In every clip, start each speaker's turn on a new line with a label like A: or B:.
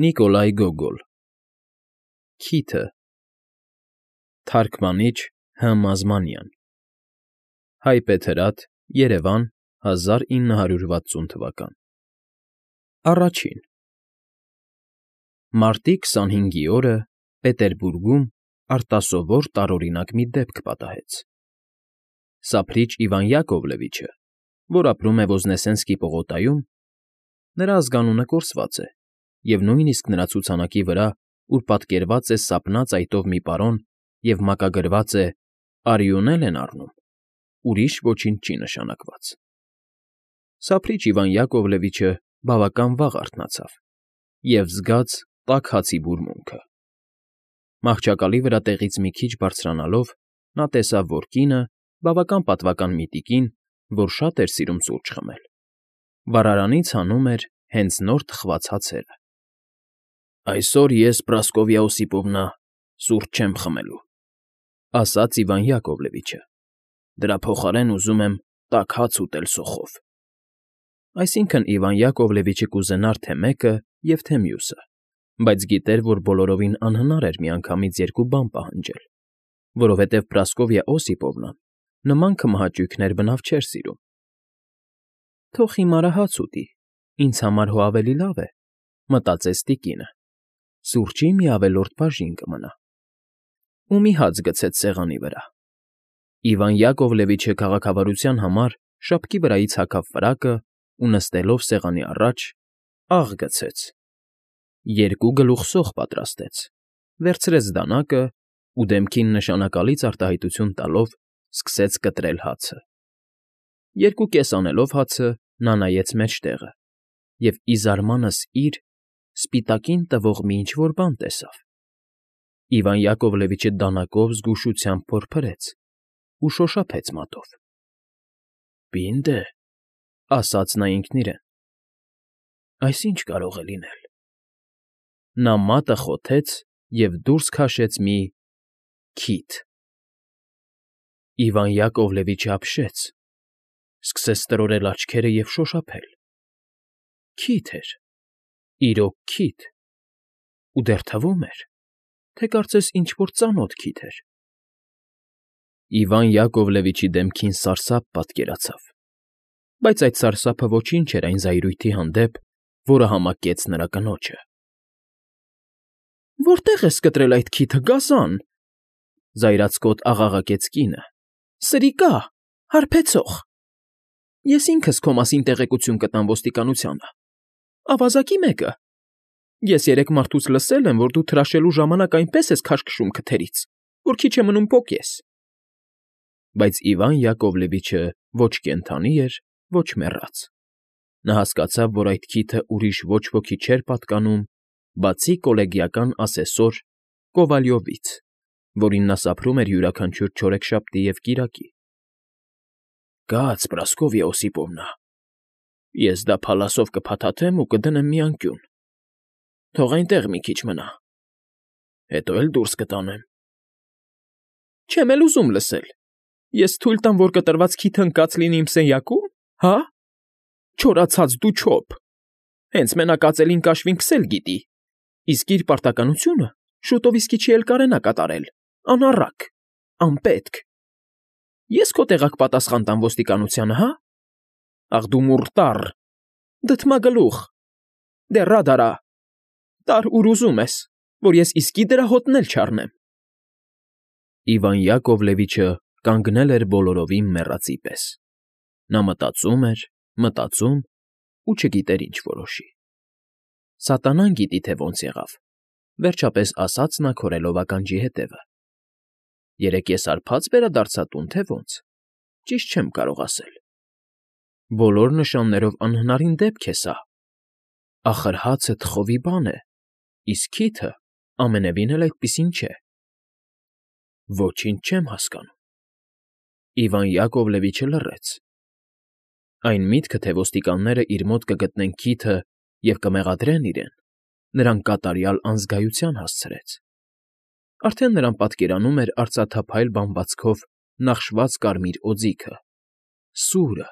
A: Նիկոլայ Գոգոլ Քիթը Թարգմանիչ Հ. Մազմանյան Հայբեթրատ Երևան 1960 Առաջին Մարտի 25-ի օրը Պետերբուրգում արտասովոր տարօրինակ մի դեպք պատահեց. Սափրիչ Իվան Յակովլևիչը, որ ապրում է Ոզնեսենսկի պողոտայում, նրա ազգանունը կորսված է, և նույնիսկ նրա ցուցանակի վրա, ուր պատկերված է սափնած այտով մի պարոն և մակագրված է «Արիոնել են առնում», ուրիշ ոչինչ չի նշանակված։ Սափրիչ Իվան Յակովլևիչը բավական վաղ արթնացավ և զգաց տաք հացի բուրմունքը։ Մահճակալի վրա տեղից մի քիչ բարձրանալով՝ նա տեսավ, որ կինը, բավական պատվական մի տիկին, որ շատ էր սիրում սուրճ խմել, վառարանից հանում էր հենց նոր թխված հացերը։ «Այսօր ես, Պրասկովյա Օսիպովնա, սուրճ չեմ խմելու,֊ ասաց Իվան Յակովլևիչը,֊ դրա փոխարեն ուզում եմ տաք հաց ուտել սոխով»։ Այսինքն՝ Իվան Յակովլևիչը կուզենար թե մեկը և թե մյուսը, բայց գիտեր, որ բոլորովին անհնար էր միանգամից երկու բան պահանջել, որովհետև Պրասկովյա Օսիպովնան նման քմահաճույքներ բնավ չէր սիրում։ «Թող հիմարը հաց ուտի, ինձ համար հո ավելի լավ է,֊ մտածեց տիկինը,֊ սուրճի մի ավելորդ բաժին կմնա»։ Ու մի հաց գցեց սեղանի վրա։ Իվան Յակովլևիչը քաղաքավարության համար շապկի վրայից հագավ ֆրակը ու, նստելով սեղանի առաջ, աղ գցեց, երկու գլուխ սոխ պատրաստեց, վերցրեց դանակը ու, դեմքին նշանակալից արտահայտություն տալով, սկսեց կտրել հացը։ Երկու կես անելով հացը՝ նա նայեց մեջտեղը և, ի զարմանս իր, սպիտակին տվող մի ինչ֊որ բան տեսավ։ Իվան Յակովլևիչը դանակով զգուշությամբ փորփրեց ու շոշափեց մատով։ «Պինդ է,֊ ասաց նա ինքն իրեն,֊ այս ի՞նչ կարող է լինել»։ Նա մատը խոթեց և դուրս քաշեց մի քիթ։ Իվան Յակովլևիչը ապշեց, սկսեց տրորել աչքերը և շոշափել։ Քիթ էր, իրոք քիթ, ու դեռ թվում էր, թե կարծես ինչ֊որ ծանոթ քիթ էր։ Իվան Յակովլևիչի դեմքին սարսափ պատկերացավ, բայց այդ սարսափը ոչինչ էր այն զայրույթի հանդեպ, որը համակեց նրա կնոջը։ «Որտե՞ղ ես կտրել այդ քիթը, գազան,֊ զայրացկոտ աղաղակեց կինը,֊ սրիկա, հարբեցող… Ես ինքս քո մասին տեղեկություն կտամ ոստիկանությանը, ավազակի մեկը… Ես երեք մարդուց լսել եմ, որ դու թրաշելու ժամանակ այնպես ես քաշքշում քթերից, որ քիչ է մնում պոկես»։ Բայց Իվան Յակովլևիչը ոչ կենդանի էր, ոչ մեռած։ Նա հասկացավ, որ այդ քիթը ուրիշ ոչ ոքի չէր պատկանում, բացի կոլեգիական ասեսոր Կովալյովից, որին նա սափրում էր յուրաքանչյուր չորեքշաբթի և կիրակի։ «Կաց, Պրասկովյա Օսիպովնա, ես դա փալասով կփաթաթեմ ու կդնեմ մի անկյուն, թող այնտեղ մի քիչ մնա, հետո էլ դուրս կտանեմ»։ «Չեմ էլ ուզում լսել, ես թույլ տամ, որ կտրված քիթը ընկած լինի իմ սենյակո՞ւմ, հա՞, չորացած դու չոփ, հենց մենակ ածելին կաշվինքս էլ գիտի, իսկ իր պարտականությունը շուտով իսկի չի էլ կարենա կատարել, անառակ, անպետք… Ես քո տեղակ պատասխան տամ ոստիկանությանը, հա՞… Ախ դու մուրտառ, դդմագլուխ, դե ռադարա, տար ուր ուզում ես, որ ես իսկի դրա հոտն էլ չառնեմ»։ Իվան Յակովլևիչը կանգնել էր բոլորովին մեռածի պես։ Նա մտածում ու չգիտեր ինչ որոշի։ «Սատանան գիտի, թե ոնց եղավ,֊ վերջապես ասաց նա քորելով ականջի ետևը,֊ երեկ ես հարբա՞ծ վերադարձա տուն, թե ոնց, ճիշտ չեմ կարող ասել։ Բոլոր նշաններով անհնարին դեպք է սա։ Ախր հացը թխովի բան է, իսկ քիթը ամենևին էլ այդպիսին չէ։ Ոչինչ չեմ հասկանում»։ Իվան Յակովլևիչը լռեց։ Այն միտքը, թե ոստիկանները իր մոտ կգտնեն քիթը և կմեղադրեն իրեն, նրան կատարյալ անզգայության հասցրեց։ Արդեն նրան պատկերանում էր արծաթափայլ բամբացքով նախշված կարմիր օձիքը, սուրը,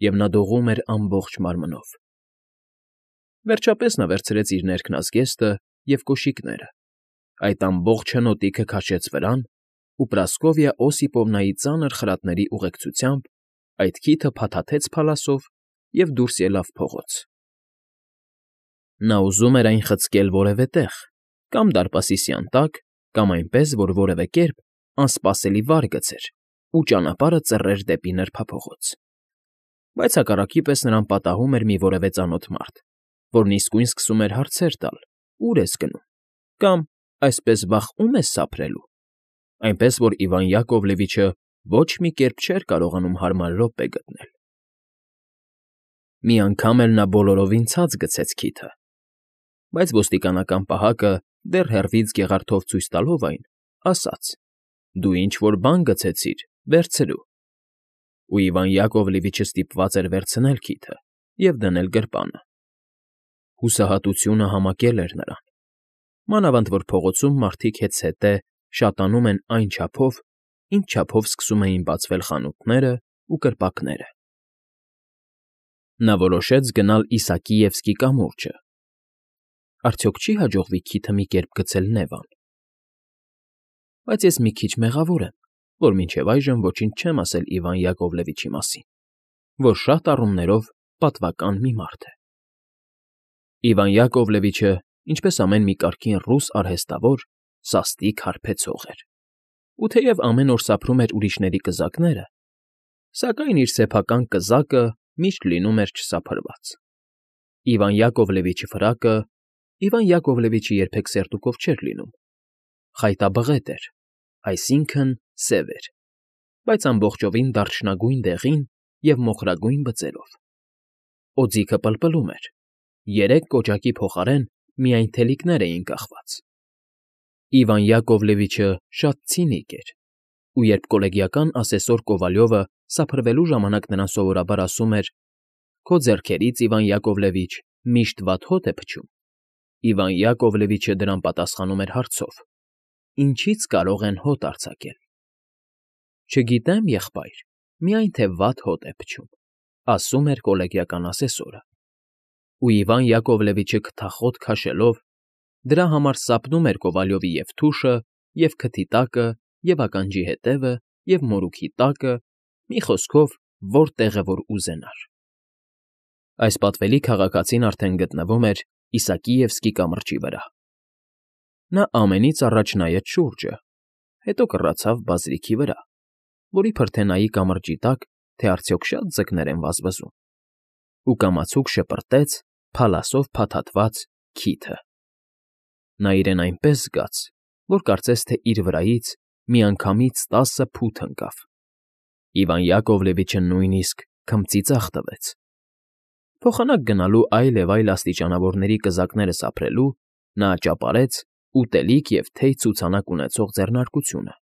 A: և նա դողում էր ամբողջ մարմնով։ Վերջապես նա վերցրեց իր ներքնազգեստը և կոշիկները, այդ ամբողջ հնոտիքը քաշեց վրան ու Պրասկովիա Օսիպովնայի ծանր խրատների ուղեկցությամբ այդ քիթը փաթաթեց փալասով և դուրս ելավ փողոց։ Նա ուզում էր այն խցկել որևէ տեղ, կամ դարպասի սյանտակ, կամ այնպես, որ որևէ կերպ անսպասելի վար գցեր ու ճանապարհը ծռեր դեպի նրբափողոց։ Բայց հակառակի պես նրան պատահում էր մի որևէ ծանոթ մարդ, որն իսկույն սկսում էր հարցեր տալ. «Ո՞ւր ես գնում» կամ «Այսպես վաղ ո՞ւմ ես սափրելու», այնպես որ Իվան Յակովլևիչը ոչ մի կերպ չէր կարողանում հարմար րոպե գտնել։ Մի անգամ էլ նա բոլորովին ցած գցեց քիթը, բայց ոստիկանական պահակը, դեռ հեռվից գեղարդով ցույց տալով այն, ասաց. «Դու ինչ֊որ բան գցեցիր, վերցրու»։ Ու Իվան Յակովլևիչը ստիպված էր վերցնել քիթը և դնել գրպանը։ Հուսահատությունը համակել էր նրան, մանավանդ որ փողոցում մարդիկ հետզհետե շատանում են այն չափով, ինչ չափով սկսում էին բացվել խանութները ու կրպակները։ Նա որոշեց գնալ Իսակիևսկի կամուրջը։ Արդյոք չի՞ հաջողվի քիթը մի կերպ գցել Նևան։ Բայց ես մի քիչ մեղավոր եմ, որ մինչև այժմ ոչինչ չեմ ասել Իվան Յակովլևիչի մասին, որ շատ առումներով պատվական մի մարդ է։ Իվան Յակովլևիչը, ինչպես ամեն մի կարգին ռուս արհեստավոր, սաստիկ հարբեցող էր, ու թեև ամեն օր սափրում էր ուրիշների կզակները, սակայն իր սեփական կզակը միշտ լինում էր չսափրված։ Իվան Յակովլևիչի ֆրակը Իվան Յակովլևիչը երբեք սերտուկով չէր լինում, խայտաբղետ էր, այսինքն՝ սև էր, բայց ամբողջովին դարչնագույն դեղին և մոխրագույն բծերով։ Օձիքը պլպլում էր, երեք կոճակի փոխարեն միայն թելիկներ էին կախված։ Իվան Յակովլևիչը շատ ցինիկ էր, ու երբ կոլեգիական ասեսոր Կովալյովը սափրվելու ժամանակ նրան սովորաբար ասում էր. «Քո ձեռքերից, Իվան Յակովլևիչ, միշտ վատ հոտ է փչում», Իվան Յակովլևիչը դրան պատասխանում էր հարցով. «Ինչի՞ց կարող են հոտ արձակել»։ «Չգիտեմ, եղբայր, միայն թե վատ հոտ է փչում», ասում էր կոլեգիական ասեսորը։ Ու Իվան Յակովլևիչը քթախոտ քաշելով դրա համար սապնում էր Կովալյովի և թուշը, և քթի տակը, և ականջի ետևը, և մորուքի տակը, մի խոսքով, որ տեղը որ ուզենար։ Այս պատվելի քաղաքացին արդեն գտնվում էր Իսակիևսկի կամրջի վրա։ Նա ամենից առաջ նայեց շուրջը, հետո կռացավ բազրիքի վրա, որ իբր թե նայի կամրջի տակ, թե արդյոք շատ ձկներ են վազվզում, ու կամացուկ շպրտեց փալասով փաթաթված քիթը։ Նա իրեն այնպես զգաց, որ կարծես թե իր վրայից միանգամից 10 փութ ընկավ։ Իվան Յակովլևիչը նույնիսկ քմծիծաղ տվեց։ Փոխանակ գնալու այլ և այլ աստիճանավորների կզակները սափրելու նա աճապարեց ուտելիք և թեյ ցուցանակ ունեցող ձեռնարկությունը,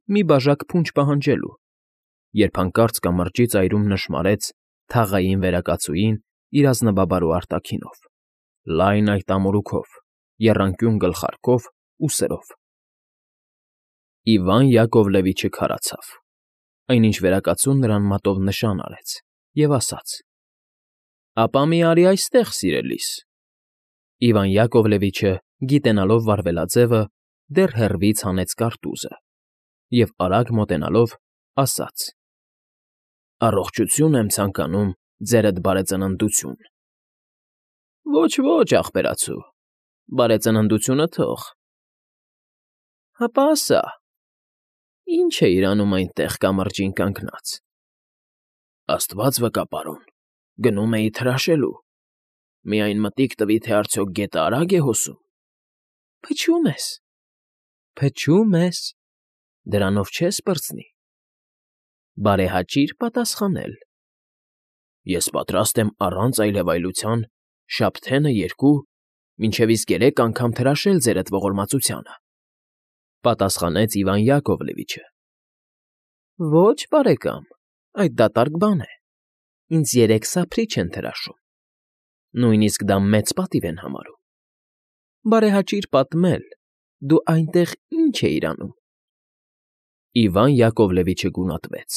A: մի բաժակ փունջ պահանջելու, երբ հանկարծ կամրջի ծայրում նշմարեց թաղային վերակացուին իր ազնվաբարո արտաքինով, լայն այտամորուքով, եռանկյուն գլխարկով ու սրով։ Իվան Յակովլևիչը քարացավ, այնինչ վերակացուն նրան մատով նշան արեց և ասաց. «Ապա մի արի այստեղ, սիրելիս»։ Իվան Յակովլևիչը, գիտենալով վարվելաձևը, դեռ հեռվից հանեց կարտուզը և, արագ մոտենալով, ասաց. «Առողջություն եմ ցանկանում, ձերդ բարեծննդություն»։ «Ոչ, ախպերացու, բարեծննդությունը թող»։ «Հապա ասա, ի՞նչ էիր անում այնտեղ կամրջին կանգնած»։ «Աստված վկա, պարոն, գնում էի թրաշելու, միայն մտիկ տվի, թե արդյոք գետը արագ է հոսում»։ «Փչում ես, դրանով չես պրծնի, բարեհաճիր պատասխանել»։ «Ես պատրաստ եմ առանց այլևայլության շաբթենը երկու, մինչև իսկ 3 անգամ թրաշել ձերդ ողորմածությանը», պատասխանեց Իվան Յակովլևիչը։ «Ոչ, բարեկամ, այդ դատարկ բան է, ինձ 3 սափրիչ են թրաշում, նույնիսկ դա մեծ պատիվ են համարում։ Բարեհաճիր պատմել, դու այնտեղ ի՞նչ էիր անում»։ Իվան Յակովլևիչը գունատվեց,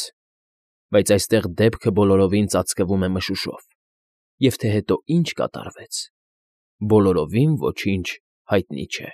A: բայց այստեղ դեպքը բոլորովին ծածկվում է մշուշով, և թե հետո ինչ կատարվեց, բոլորովին ոչինչ հայտնի չէ։